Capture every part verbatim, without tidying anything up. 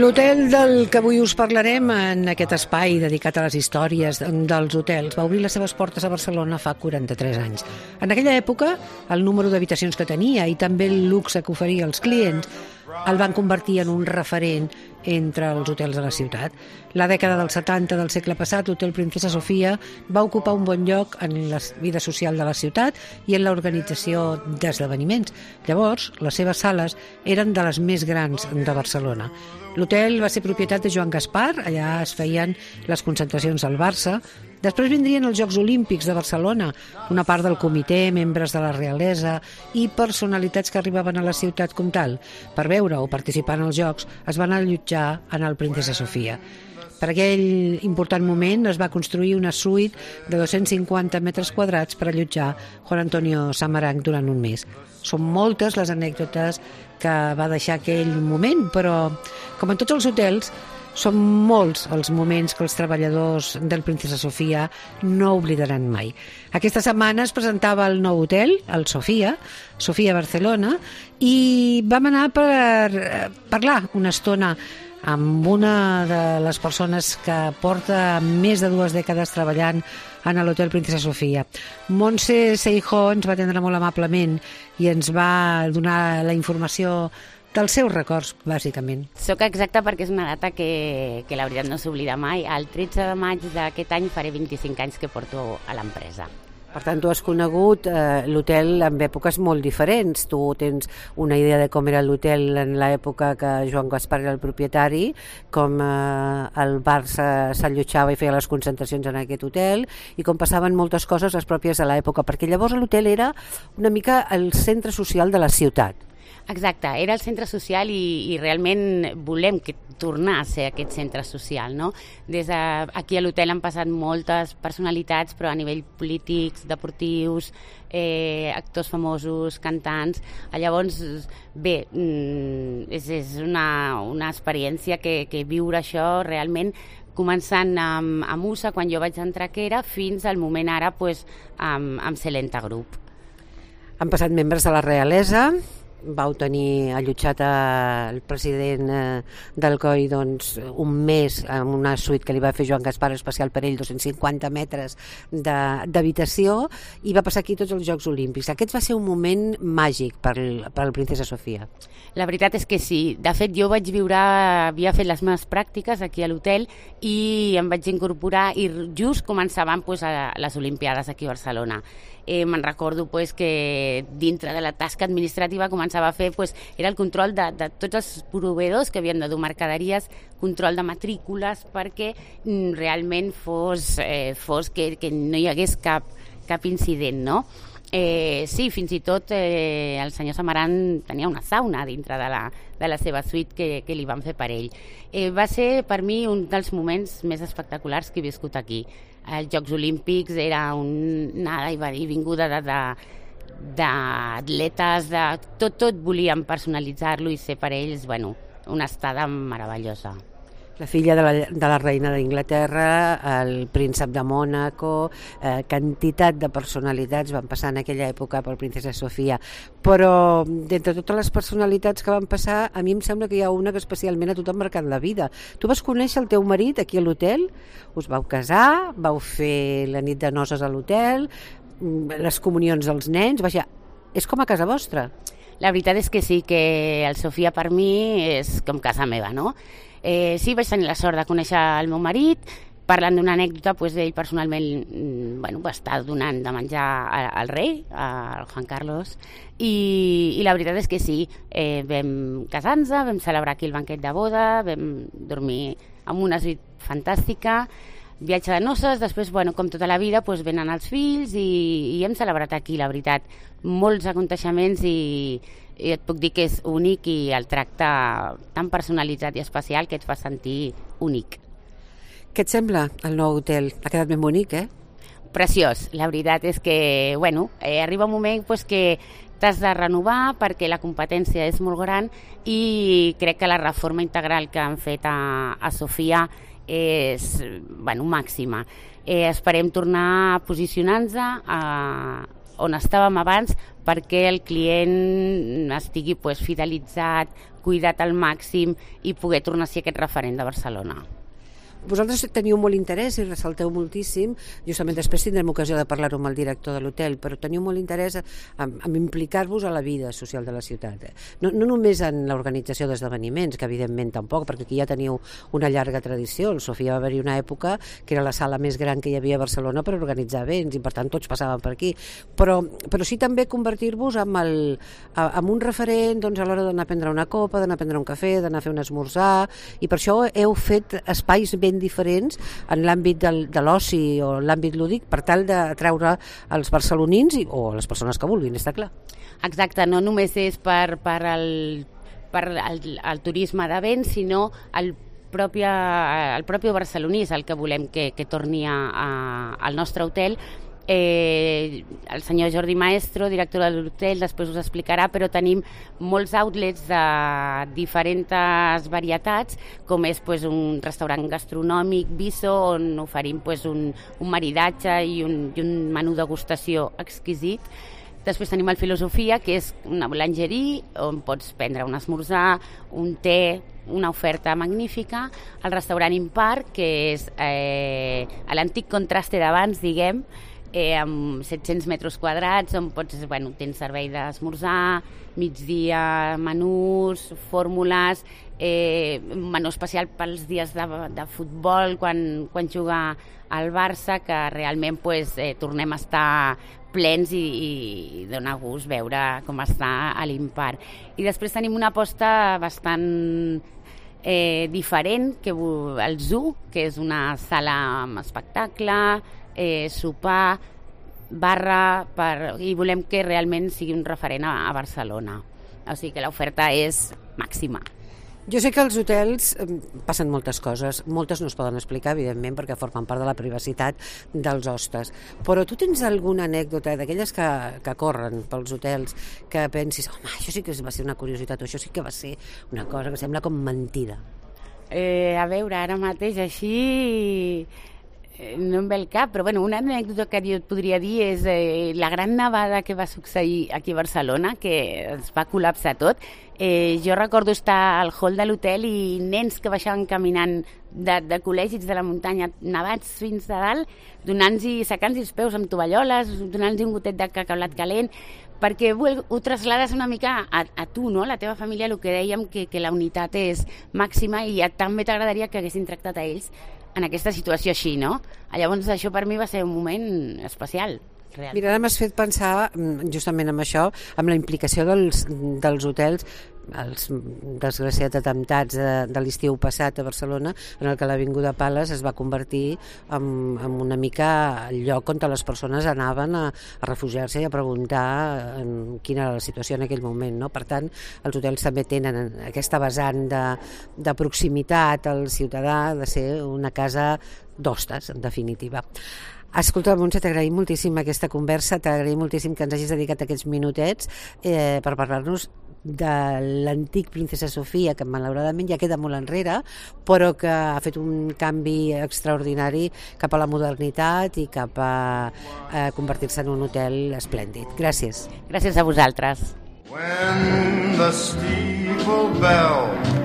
L'hotel del que avui us parlarem en aquest espai dedicat a les històries dels hotels va obrir les seves portes a Barcelona fa quaranta-tres anys. En aquella època, el número d'habitacions que tenia i també el luxe que oferia als clients el van convertir en un referent entre els hotels de la ciutat. La dècada dels setanta del segle passat, l'Hotel Princesa Sofia va ocupar un bon lloc en la vida social de la ciutat i en l'organització d'esdeveniments. Llavors, les seves sales eren de les més grans de Barcelona. L'hotel va ser propietat de Joan Gaspar, allà es feien les concentracions del Barça. Després vindrien els Jocs Olímpics de Barcelona, una part del comitè, membres de la realesa i personalitats que arribaven a la ciutat com tal. Per veure o participar en els Jocs es van allotjar en el Princesa Sofia. Per aquell important moment es va construir una suite de dos-cents cinquanta metres quadrats per allotjar Juan Antonio Samaranch durant un mes. Són moltes les anècdotes que va deixar aquell moment, però, com en tots els hotels, són molts els moments que els treballadors del Princesa Sofia no oblidaran mai. Aquesta setmana es presentava el nou hotel, el Sofia, Sofia Barcelona, i vam anar per parlar una estona amb una de les persones que porta més de dues dècades treballant en l'Hotel Princesa Sofia. Montse Seijó ens va atendre molt amablement i ens va donar la informació dels seus records, bàsicament. Soc exacta perquè és una data que, que la veritat no s'oblida mai. El tretze de maig d'aquest any faré vint-i-cinc anys que porto a l'empresa. Per tant, tu has conegut eh, l'hotel en èpoques molt diferents. Tu tens una idea de com era l'hotel en l'època que Joan Gaspar era el propietari, com eh, el Barça s'allotjava i feia les concentracions en aquest hotel i com passaven moltes coses les pròpies de l'època, perquè llavors l'hotel era una mica el centre social de la ciutat. Exacte, era el centre social i, i realment volem que tornar a ser aquest centre social, no? Des d'aquí a l'hotel han passat moltes personalitats, però a nivell polítics, deportius, eh, actors famosos, cantants. Llavors, bé, és, és una, una experiència que, que viure això realment començant amb, amb U S A, quan jo vaig entrar que era, fins al moment ara pues, amb, amb Celenta Group. Han passat membres de la realesa. Vau tenir allotjat el president del C O I doncs, un mes en una suite que li va fer Joan Gaspar, especial per ell, dos-cents cinquanta metres d'habitació, i va passar aquí tots els Jocs Olímpics. Aquest va ser un moment màgic per, per la Princesa Sofia. La veritat és que sí. De fet, jo vaig viure, havia fet les meves pràctiques aquí a l'hotel i em vaig incorporar i just començaven pues, a les Olimpiades aquí a Barcelona. Eh, me'n recordo pues, que dintre de la tasca administrativa començava a fer, pues, era el control de, de tots els proveïdors que havien de dur mercaderies, control de matrícules, perquè mm, realment fos, eh, fos que, que no hi hagués cap, cap incident, no? Eh, sí, fins i tot eh, el senyor Samaranch tenia una sauna dintre de la, de la seva suite que, que li van fer per ell. Eh, va ser per mi un dels moments més espectaculars que he viscut aquí. Els Jocs Olímpics era un nada i vinguda de, de, d'atletes, de, tot, tot volíem personalitzar-lo i ser per ells, bueno, una estada meravellosa. La filla de la, de la reina d'Inglaterra, el príncep de Mònaco, eh, quantitat de personalitats van passar en aquella època per Princesa Sofia. Però d'entre totes les personalitats que van passar, a mi em sembla que hi ha una que especialment a tu t'ha marcat la vida. Tu vas conèixer el teu marit aquí a l'hotel, us vau casar, vau fer la nit de noces a l'hotel, les comunions dels nens, vaja, és com a casa vostra. La veritat és que sí, que el Sofia per mi és com casa meva, no? Eh, sí, vaig tenir la sort de conèixer el meu marit. Parlant d'una anècdota, pues, ell personalment bueno, va estar donant de menjar al rei, al Juan Carlos, i, i la veritat és que sí, eh, vam casar-nos, vam celebrar aquí el banquet de boda, vam dormir en una suite fantàstica, viatge de noces, després, bueno, com tota la vida, pues, venen els fills i, i hem celebrat aquí, la veritat, molts aconteixements i, i et puc dir que és únic i el tracte tan personalitzat i especial que et fa sentir únic. Què et sembla el nou hotel? Ha quedat ben bonic, eh? Preciós. La veritat és que, bueno, eh, arriba un moment pues, que t'has de renovar perquè la competència és molt gran i crec que la reforma integral que han fet a, a Sofia és, bueno, màxima. Eh, esperem tornar a posicionar-nos a on estàvem abans perquè el client estigui pues, fidelitzat, cuidat al màxim i poder tornar a ser aquest referent de Barcelona. Vosaltres teniu molt interès i ressalteu moltíssim, justament després tindrem ocasió de parlar-ho amb el director de l'hotel, però teniu molt interès en, en implicar-vos a la vida social de la ciutat. No, no només en l'organització d'esdeveniments, que evidentment tampoc, perquè aquí ja teniu una llarga tradició. El Sofia va haver-hi una època que era la sala més gran que hi havia a Barcelona per organitzar events i per tant tots passaven per aquí. Però, però sí també convertir-vos en, el, en un referent doncs, a l'hora d'anar a prendre una copa, d'anar a prendre un cafè, d'anar a fer un esmorzar, i per això heu fet espais ben diferents en l'àmbit del, de l'oci o l'àmbit lúdic per tal d'atraure els barcelonins i, o les persones que vulguin, està clar. Exacte, no només és per, per, el, per el, el turisme de béns, sinó el propi, el propi barceloní és el que volem que, que torni a, a, al nostre hotel. Eh, el senyor Jordi Maestro, director de l'hotel, després us explicarà, però tenim molts outlets de diferents varietats, com és pues, un restaurant gastronòmic, Viso, on oferim pues, un, un maridatge i un, i un menú degustació exquisit. Després tenim el Filosofia, que és una boulangerie, on pots prendre un esmorzar, un te, una oferta magnífica. El restaurant Impar, que és eh, l'antic Contraste d'abans, diguem, Eh, amb set-cents metres quadrats on pots, bueno, tens servei d'esmorzar, migdia, menús, fórmules, eh, menú especial pels dies de, de futbol quan, quan juga al Barça, que realment pues, eh, tornem a estar plens i, i dona gust veure com està a l'Impar. I després tenim una aposta bastant eh, diferent, que el Zoo, que és una sala amb espectacle, Eh, sopar, barra, per, i volem que realment sigui un referent a, a Barcelona. O sigui que l'oferta és màxima. Jo sé que als hotels passen moltes coses, moltes no es poden explicar, evidentment, perquè formen part de la privacitat dels hostes. Però tu tens alguna anècdota d'aquelles que, que corren pels hotels que pensis, home, això sí que va ser una curiositat, o això sí que va ser una cosa que sembla com mentida? Eh, a veure, ara mateix així no em ve el cap, però bueno, una anècdota que jo et podria dir és eh, la gran nevada que va succeir aquí a Barcelona, que es va col·lapsar tot. Eh, jo recordo estar al hall de l'hotel i nens que baixaven caminant de, de col·legis de la muntanya nevats fins de dalt, donant-los, secant-los els peus amb tovalloles, donant-los un gotet de cacaolat calent, perquè ho, ho traslades una mica a, a tu, no? La teva família, el que dèiem, que, que la unitat és màxima i ja també t'agradaria que haguessin tractat a ells en aquesta situació així, no? Llavors això per mi va ser un moment especial. Real. Mira, ara m'has fet pensar justament en això, amb la implicació dels, dels hotels, els desgraciats atemptats de, de l'estiu passat a Barcelona, en el que l'Avinguda Pales es va convertir en, en una mica el lloc on les persones anaven a, a refugiar-se i a preguntar en quina era la situació en aquell moment, no? Per tant, els hotels també tenen aquesta vessant de, de proximitat al ciutadà, de ser una casa d'hostes, en definitiva. Escolta, Montse, t'agraïm moltíssim aquesta conversa, t'agraïm moltíssim que ens hagis dedicat aquests minutets eh, per parlar-nos de l'antic Princesa Sofia, que malauradament ja queda molt enrere, però que ha fet un canvi extraordinari cap a la modernitat i cap a, a convertir-se en un hotel esplèndid. Gràcies. Gràcies a vosaltres.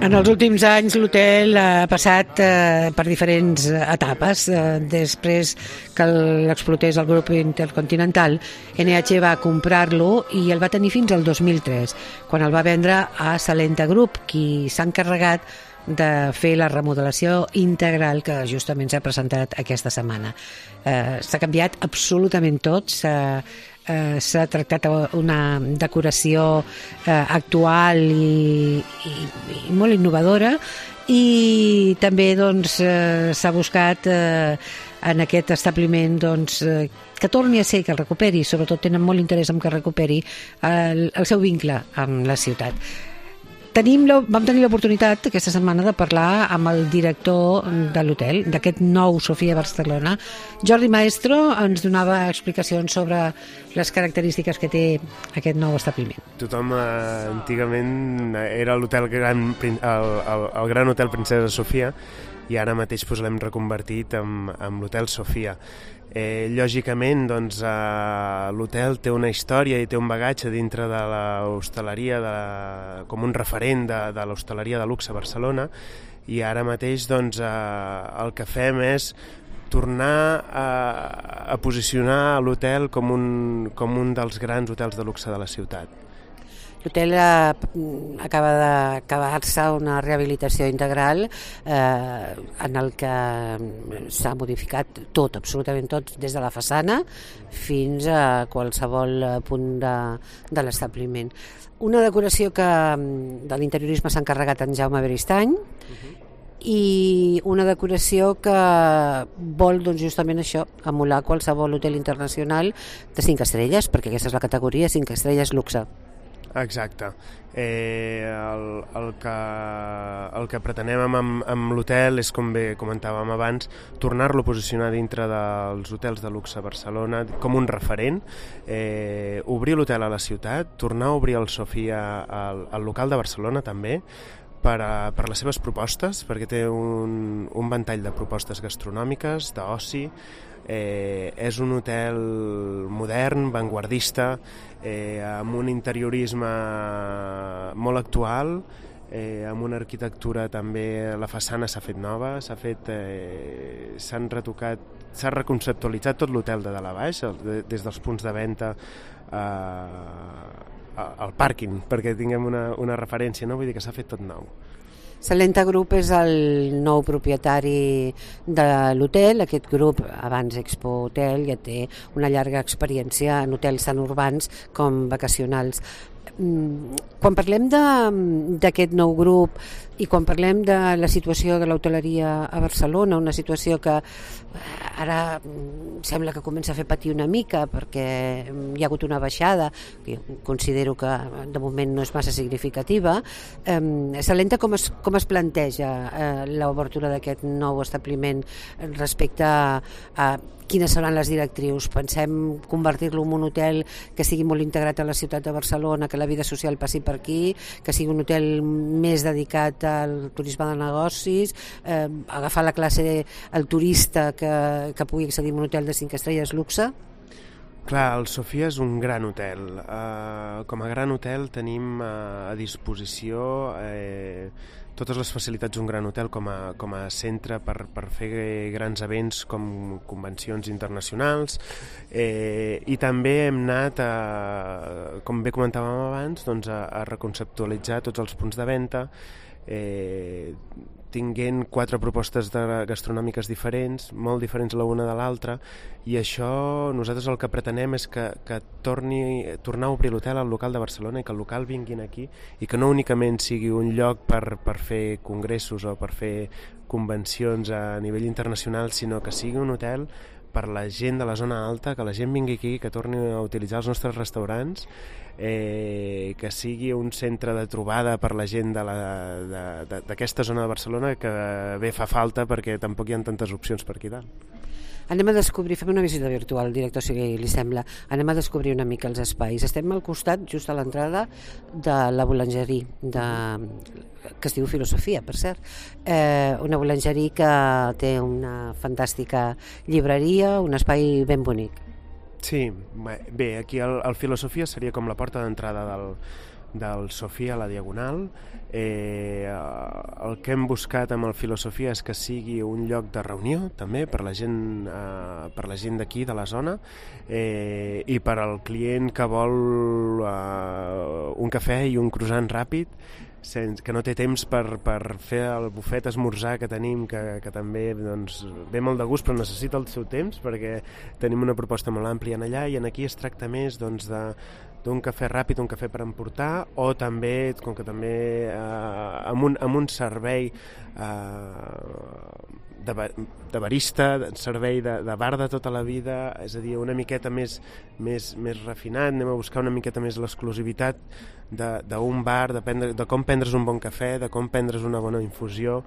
En els últims anys l'hotel ha passat eh, per diferents etapes. Eh, després que l'explotés el grup Intercontinental, N H va comprar-lo i el va tenir fins al dos mil tres, quan el va vendre a Salenta Group, qui s'ha encarregat de fer la remodelació integral que justament s'ha presentat aquesta setmana. Eh, s'ha canviat absolutament tot, s'ha Eh, s'ha tractat una decoració eh, actual i, i, i molt innovadora, i també doncs, eh, s'ha buscat eh, en aquest establiment doncs, eh, que torni a ser, que el recuperi, sobretot tenen molt interès en que recuperi el, el seu vincle amb la ciutat. tenim la, vam tenir l'oportunitat aquesta setmana de parlar amb el director de l'hotel, d'aquest nou Sofia Barcelona. Jordi Maestro ens donava explicacions sobre les característiques que té aquest nou establiment. Tothom eh, antigament era l'hotel gran, el, el, el gran hotel Princesa Sofia, i ara mateix pues, l'hem reconvertit en, en l'hotel Sofia. Eh, lògicament, doncs, eh, l'hotel té una història i té un bagatge dintre de l'hostaleria, de, com un referent de, de l'hostaleria de luxe a Barcelona, i ara mateix doncs, eh, el que fem és tornar a, a posicionar l'hotel com un, com un dels grans hotels de luxe de la ciutat. L'hotel eh, acaba d'acabar-se una rehabilitació integral eh, en el que s'ha modificat tot, absolutament tot, des de la façana fins a qualsevol punt de, de l'establiment. Una decoració que de l'interiorisme s'ha encarregat en Jaume Beristany, uh-huh. i una decoració que vol doncs, justament això, emular qualsevol hotel internacional de cinc estrelles, perquè aquesta és la categoria cinc estrelles luxe. Exacte. Eh, el, el, que, el que pretenem amb, amb l'hotel és, com bé comentàvem abans, tornar-lo a posicionar dintre dels hotels de luxe a Barcelona com un referent, eh, obrir l'hotel a la ciutat, tornar a obrir el Sofia al, al local de Barcelona també, per, a, per les seves propostes, perquè té un, un ventall de propostes gastronòmiques, d'oci. Eh, és un hotel modern, vanguardista, eh, amb un interiorisme molt actual, eh, amb una arquitectura també, la façana s'ha fet nova, s'ha fet, eh, s'han retocat, s'ha reconceptualitzat tot l'hotel de dalt a baix, des dels punts de venda eh, al pàrquing, perquè tinguem una, una referència, no? Vull dir que s'ha fet tot nou. Salenta Group és el nou propietari de l'hotel. Aquest grup, abans Expo Hotel, ja té una llarga experiència en hotels tant urbans com vacacionals. Quan parlem d'aquest nou grup i quan parlem de la situació de l'hoteleria a Barcelona, una situació que ara sembla que comença a fer patir una mica perquè hi ha hagut una baixada, que considero que de moment no és massa significativa, eh, Salenta com es, com es planteja eh, l'obertura d'aquest nou establiment respecte a, a quines seran les directrius? Pensem convertir-lo en un hotel que sigui molt integrat a la ciutat de Barcelona, que la vida social passi per aquí, que sigui un hotel més dedicat al turisme de negocis, eh, agafar la classe, el turista que, que pugui accedir a un hotel de cinc estrelles luxe? Clar, el Sofia és un gran hotel. Uh, com a gran hotel tenim uh, a disposició eh, totes les facilitats d'un gran hotel com a, com a centre per, per fer grans events com convencions internacionals, eh, i també hem anat, a, com bé comentàvem abans, doncs a, a reconceptualitzar tots els punts de venda, eh, tinguent quatre propostes de gastronòmiques diferents, molt diferents l'una de l'altra, i això nosaltres el que pretenem és que, que torni, tornar a obrir l'hotel al local de Barcelona i que el local vinguin aquí i que no únicament sigui un lloc per, per fer congressos o per fer convencions a nivell internacional, sinó que sigui un hotel per la gent de la zona alta, que la gent vingui aquí, que torni a utilitzar els nostres restaurants, eh, que sigui un centre de trobada per la gent d'aquesta zona de Barcelona que bé fa falta perquè tampoc hi ha tantes opcions per aquí dalt. Anem a descobrir, fem una visita virtual, director, si li sembla. Anem a descobrir una mica els espais. Estem al costat, just a l'entrada, de la boulangerie, de... que es diu Filosofia, per cert. Eh, una boulangerie que té una fantàstica llibreria, un espai ben bonic. Sí, bé, aquí el, el Filosofia seria com la porta d'entrada del, del Sofia a la Diagonal. Eh, el que hem buscat amb el Filosofia és que sigui un lloc de reunió també per la gent, eh, per la gent d'aquí, de la zona, eh, i per al client que vol eh, un cafè i un croissant ràpid, sense, que no té temps per, per fer el bufet esmorzar que tenim, que, que també doncs, ve molt de gust però necessita el seu temps perquè tenim una proposta molt àmplia en allà, i en aquí es tracta més doncs, de d'un cafè ràpid, un cafè per emportar, o també, com que també eh, amb, un, amb un servei eh, de, de barista, de servei de, de bar de tota la vida, és a dir, una miqueta més, més, més refinat, anem a buscar una miqueta més l'exclusivitat d'un bar, de, prendre, de com prendre's un bon cafè, de com prendre's una bona infusió.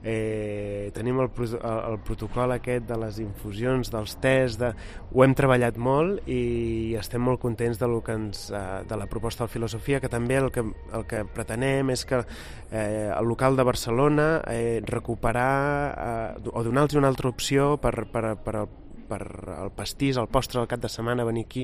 Eh, tenim el, el, el protocol aquest de les infusions, dels tés, de, ho hem treballat molt i estem molt contents de, lo que ens, de la proposta de filosofia, que també el que, el que pretenem és que eh, el local de Barcelona eh, recuperar eh, o donar-los una altra opció per, per, per per el pastís, el postre del cap de setmana, venir aquí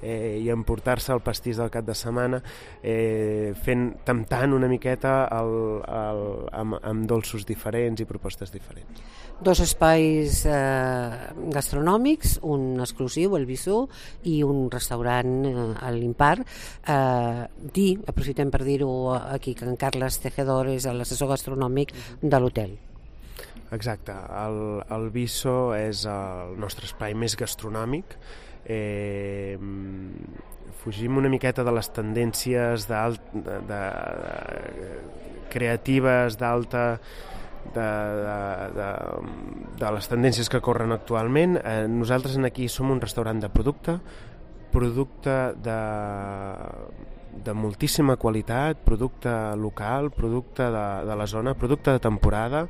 eh, i emportar-se el pastís del cap de setmana, eh, fent, temptant una miqueta el, el, amb, amb dolços diferents i propostes diferents. Dos espais eh, gastronòmics, un exclusiu, el Bisó, i un restaurant eh, a l'Impar. Eh, dir, aprofitem per dir-ho aquí, que en Carles Tejedor és l'assessor gastronòmic de l'hotel. Exacte, el, el Bisó és el nostre espai més gastronòmic. Eh, fugim una miqueta de les tendències de, de, de, de creatives d'alta de, de, de, de les tendències que corren actualment. Eh, nosaltres aquí som un restaurant de producte, producte de, de moltíssima qualitat, producte local, producte de, de la zona, producte de temporada.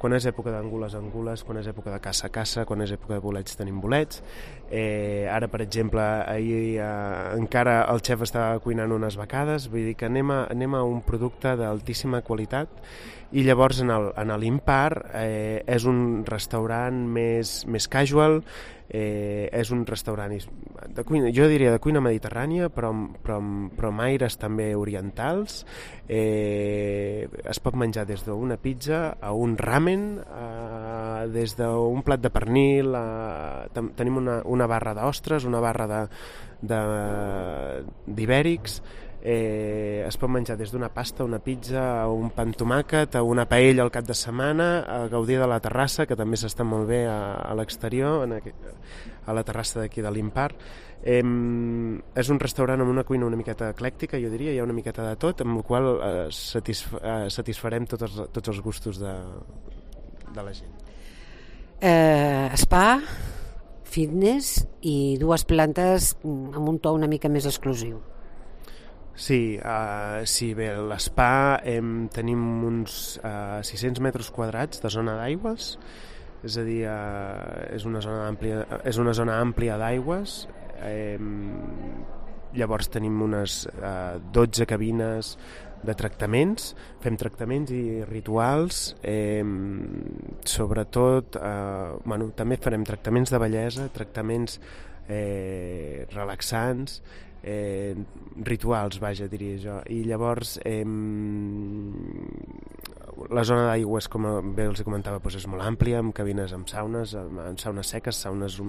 Quan és època d'angules, angules, quan és època de caça, caça, quan és època de bolets, tenim bolets. Eh, ara, per exemple, ahir eh, encara el xef estava cuinant unes becades, vull dir que anem a, anem a un producte d'altíssima qualitat. I llavors en el, en l'Impar eh, és un restaurant més, més casual, eh, és un restaurant de cuina, jo diria de cuina mediterrània, però, però, però amb aires també orientals. Eh, es pot menjar des d'una pizza a un ramen, eh, des d'un plat de pernil, eh, ten, tenim una, una barra d'ostres, una barra de, de, d'ibèrics. Eh, es pot menjar des d'una pasta, una pizza, a un pa amb tomàquet, a una paella al cap de setmana, a gaudir de la terrassa, que també s'està molt bé a, a l'exterior, en aquest, a la terrassa d'aquí de l'Impar. Eh, és un restaurant amb una cuina una miqueta eclèctica, jo diria, hi ha una miqueta de tot, amb el qual eh, satisf eh, satisfarem tots els, tots els gustos de, de la gent. Eh, spa, fitness i dues plantes amb un to una mica més exclusiu. Sí, uh, sí, bé, l'Spa eh, tenim uns uh, sis-cents metres quadrats de zona d'aigües, és a dir, uh, és una zona àmplia, és una zona àmplia d'aigües. Eh, llavors tenim unes uh, dotze cabines de tractaments, fem tractaments i rituals, eh, sobretot, eh, bueno, també farem tractaments de bellesa, tractaments eh, relaxants, eh, rituals, vaja, diria jo. I llavors eh, la zona d'aigües, com bé els comentava, doncs és molt àmplia, amb cabines amb saunes, amb saunes seques, saunes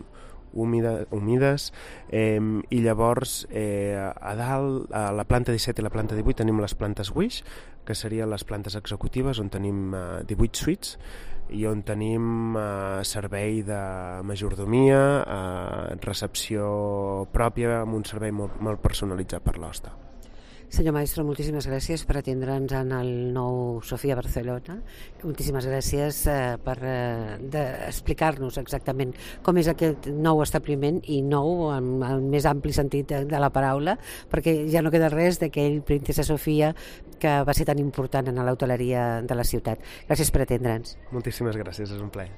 húmides, humides, eh, i llavors eh, a dalt, a la planta disset i la planta divuit tenim les plantes Wish, que serien les plantes executives, on tenim eh, divuit suites, i on tenim eh, servei de majordomia, eh, recepció pròpia, amb un servei molt, molt personalitzat per l'hoste. Senyor Maestro, moltíssimes gràcies per atendre'ns en el nou Sofia Barcelona. Moltíssimes gràcies eh, per eh, de explicar-nos exactament com és aquest nou establiment, i nou en el més ampli sentit de, de la paraula, perquè ja no queda res d'aquell Princesa Sofia que va ser tan important en l'hoteleria de la ciutat. Gràcies per atendre'ns. Moltíssimes gràcies, és un plaer.